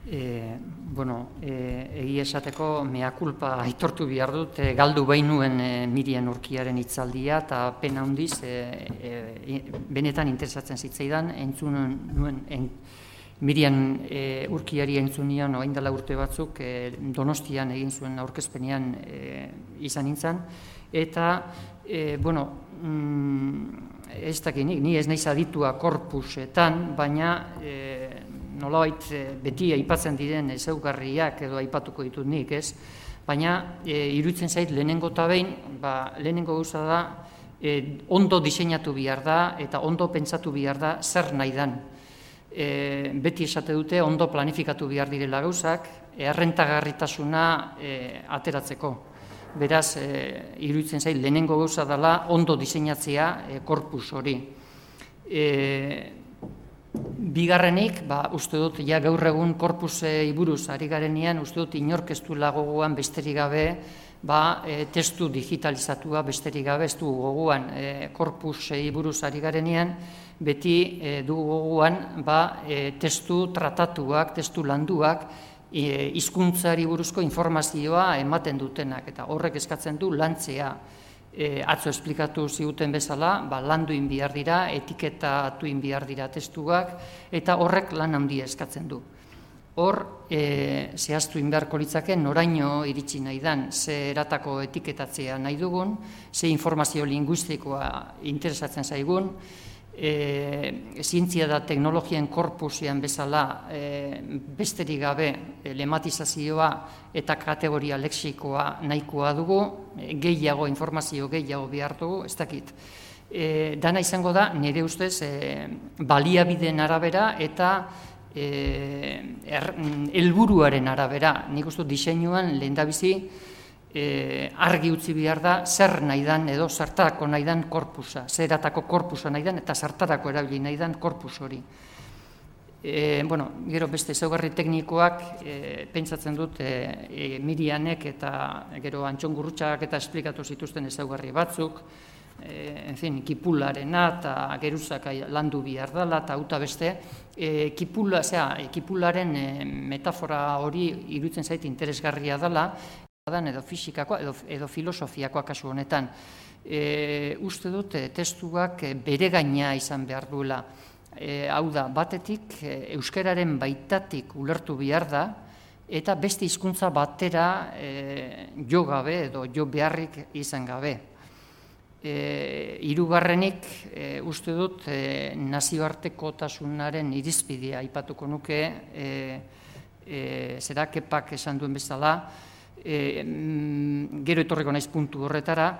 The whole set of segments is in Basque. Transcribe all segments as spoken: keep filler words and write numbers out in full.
E, bueno, e, egi esateko mea culpa aitortu behar dut, e, galdu behin nuen e, Mirian Urkiaren hitzaldia, eta pena handiz, e, e, benetan interesatzen zitzaidan, entzun nuen, en, Mirian e, Urkiari entzun nion, orain dela urte batzuk, e, Donostian egin zuen aurkezpenean e, izan nintzen, eta, e, bueno, mm, ez dakinik, ni ez naiz aditua korpusetan, baina e, nolabait beti aipatzen diren ezaugarriak edo aipatuko ditut nik, ez? Baina e, iruditzen zait lehenengo eta behin, ba, lehenengo gauza da, e, ondo diseinatu behar da eta ondo pentsatu behar da zer nahi dan. E, beti esate dute ondo planifikatu behar direla gauzak, errentagarritasuna e, ateratzeko. Beraz, e, iruditzen zait lehenengo gauza dela ondo diseinatzea e, korpus hori. E, Bigarrenik, ba, uste dut, ja gaur egun korpusei buruz ari garenean, uste dut inork ez du gogoan besterik gabe, ba, e, testu digitalizatua besterik gabe, ez du gogoan e, korpusei buruz ari garenean, beti e, du gogoan ba, e, testu tratatuak, testu landuak, e, hizkuntzari buruzko informazioa ematen dutenak, eta horrek eskatzen du lantzea. E, atzo esplikatu ziguten bezala, ba, landu inbihar dira, etiketatu inbihar dira testuak, eta horrek lan handia eskatzen du. Hor, e, zehaztu inbeharko litzake, noraino iritsi nahi dan, ze eratako etiketatzea nahi dugun, ze informazio linguistikoa interesatzen zaigun, e, zientzia da teknologien korpusean bezala e, besterik gabe e, lematizazioa eta kategoria lexikoa nahikoa dugu, e, gehiago, informazio gehiago behar dugu, ez dakit. E, dana izango da, nire ustez, e, baliabideen arabera eta helburuaren arabera. Nik uste diseinuan lehendabizi e, argi utzi behar da zer nahi dan edo zertarako nahi dan korpusa, zeratako korpusa nahi dan eta zertarako erabili nahi dan korpus hori. E, bueno, gero beste ezaugarri teknikoak e, pentsatzen dut e, e, Mirianek eta gero Antxon Gurrutxagak eta esplikatu zituzten ezaugarri batzuk, e, en fin, kipularena eta geruzak landu behar dela eta uta beste, e, kipula, zera, kipularen e, metafora hori iruditzen zait interesgarria dela, edo fisikakoa edo, edo filosofiakoa kasu honetan. E, uste dut e, testuak e, bere gaina izan behar duela. E, hau da, batetik e, euskararen baitatik ulertu behar da, eta beste hizkuntza batera e, jo gabe edo jo beharrik izan gabe. E, hirugarrenik e, uste dut e, nazioartekotasunaren irizpidea aipatuko nuke, e, e, zera kepak esan duen bezala, E, gero etorriko naiz puntu horretara,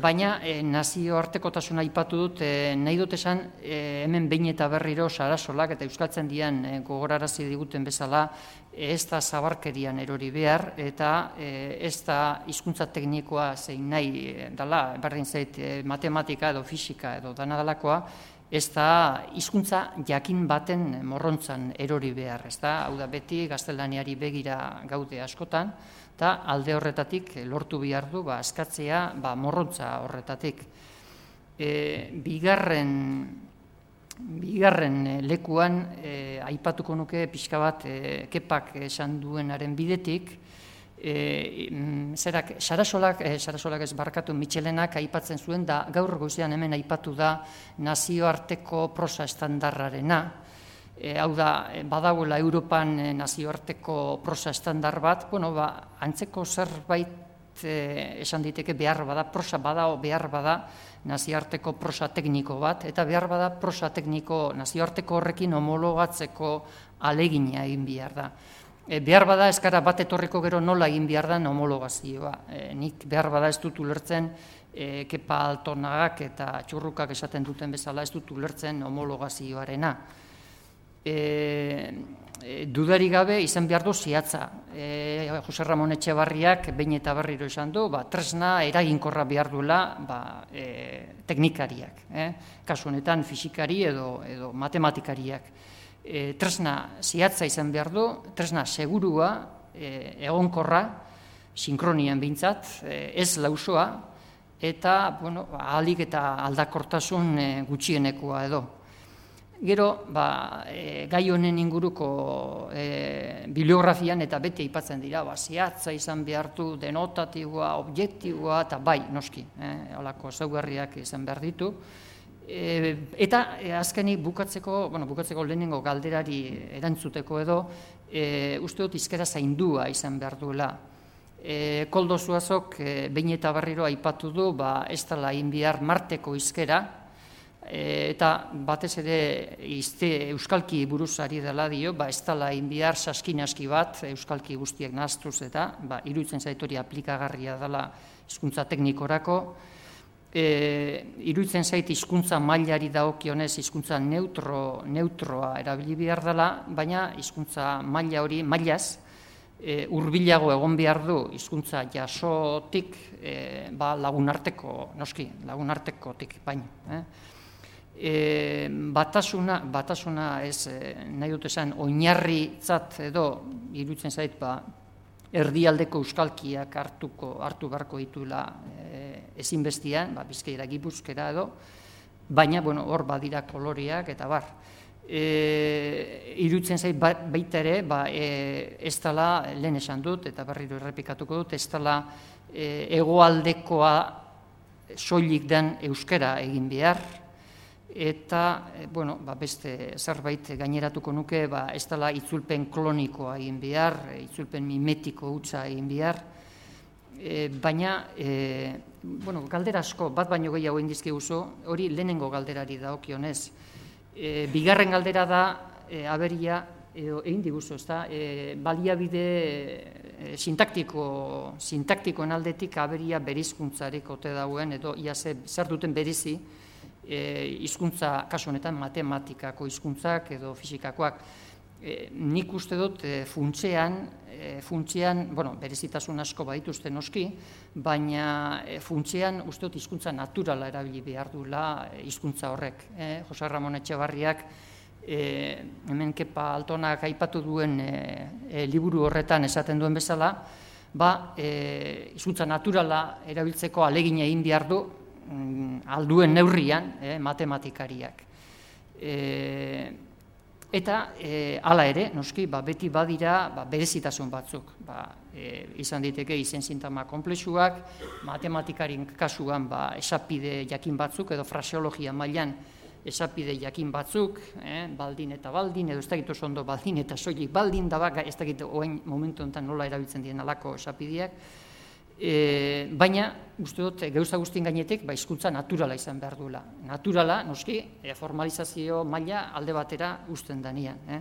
baina e, nazioartekotasuna aipatu dut, e, nahi dut esan e, hemen behin eta berriro Sarasolak eta euskaltzen dian e, gogorarazi diguten bezala, e, ez da zabarkerian erori behar eta e, ez da hizkuntza teknikoa zein nahi e, dela, berdin zait e, matematika edo fisika edo dana dalakoa, ez da hizkuntza jakin baten morrontzan erori behar, ez da, hau da beti gaztelaniari begira gaude askotan, eta alde horretatik lortu behar du, ba, askatzea ba, morrontza horretatik. E, bigarren, bigarren lekuan, e, aipatuko nuke pixka bat e, kepak esan duenaren bidetik, e, zerak, Sarasolak, e, Sarasolak ez barkatu Mitxelenak aipatzen zuen, da gaur goizean hemen aipatu da nazioarteko prosa estandarrarena. E, hau da, badagoela Europan e, nazioarteko prosa estandar bat, bueno, ba, antzeko zerbait e, esan diteke behar bada, prosa bada o behar bada nazioarteko prosa tekniko bat, eta behar bada prosa tekniko nazioarteko horrekin homologatzeko alegina egin behar da. E, behar bada eskara bat etorriko gero nola egin behar da homologazioa. E, nik behar bada ez dut ulertzen, e, kepa altonagak eta txurrukak esaten duten bezala ez dut ulertzen homologazioarena. E, e, dudari gabe izan behar du ziatza. E, Jose Ramon Etxebarriak behin eta berriro esan du, ba, tresna eraginkorra behar duela ba, e, teknikariak. Eh? Kasu honetan fisikari edo, edo matematikariak. E, tresna ziatza izan behar du, tresna segurua, e, egonkorra, sinkronian behintzat, e, ez lausoa, eta bueno, ahalik eta aldakortasun e, gutxienekoa edo. Gero, ba, e, gai honen inguruko e, bibliografian eta beti aipatzen dira, ba, zehatza izan behartu, denotatiboa, objektiboa, eta bai, noski, eh, holako ezaugarriak izan behar ditu. E, eta e, azkenik bukatzeko, bueno, bukatzeko lehenengo galderari erantzuteko edo, e, uste dut hizkera zaindua izan behar duela. E, Koldo Zuazok e, behin eta berriro aipatu du, ba, ez dela egin behar Marteko hizkera, e, eta batez ere izte, euskalki buruz ari dela dio, ba, ez dela egin behar saskinaski bat, euskalki guztiek nahaztuz eta, ba, iruditzen zait hori aplikagarria dela hizkuntza teknikorako. E, iruditzen zait hizkuntza mailari dagokionez hizkuntza neutro, neutroa erabili behar dela, baina hizkuntza maila hori, mailaz, e, hurbilago egon behar du hizkuntza jasotik, e, ba, lagunarteko, noski, lagunartekotik baino. Eh? E, batasuna, batasuna ez, e, nahi dut esan, oinarritzat edo, iruditzen zait, ba, erdialdeko euskalkiak hartuko, hartu beharko dituela e, ezinbestian, ba, Bizkaira, Gipuzkera edo, baina, bueno, hor badira koloreak eta bar. E, iruditzen zait baita ere, ba, e, ez dela, lehen esan dut, eta berriro errepikatuko dut, ez dela e, hegoaldekoa soilik den euskara egin behar, eta, e, bueno, ba, beste zerbait gaineratuko nuke, ba, ez dela itzulpen klonikoa egin behar, itzulpen mimetiko hutsa egin behar, e, baina, e, bueno, galdera asko, bat baino gehiago egin dizkiguzu, hori lehenengo galderari dagokionez. E, bigarren galdera da, e, aberia, edo egin diguzu, ez da, e, baliabide e, sintaktiko, sintaktikoen aldetik aberia berizkuntzarik ote dauen, edo ia zer duten berizi, hizkuntza e, kasu honetan matematikako hizkuntzak edo fisikakoak. E, nik uste dut e, funtsean, e, funtsean, bueno, berezitasun asko badituzte noski, baina e, funtsean uste dut hizkuntza naturala erabili behar duela hizkuntza horrek. E, Jose Ramon Etxebarriak e, hemen Kepa Altonak aipatu duen e, e, liburu horretan esaten duen bezala, ba, e, hizkuntza naturala erabiltzeko ahalegina egin behar du, alduen neurrian, eh, matematikariak. E, eta e, hala ere, noski, ba, beti badira ba, berezitasun batzuk. Ba, e, izan diteke izen sintagma konplexuak, matematikarien kasuan ba, esapide jakin batzuk, edo fraseologia mailan esapide jakin batzuk, eh, baldin eta baldin, edo ez dakit oso ondo baldin eta soilik baldin, da bak, ez dakit oain momentu honetan nola erabiltzen dien alako esapideak. E, baina, uste dut, gauza guztien gainetik, ba, hizkuntza naturala izan behar duela. Naturala, noski, e, formalizazio maila alde batera uzten danean. Eh?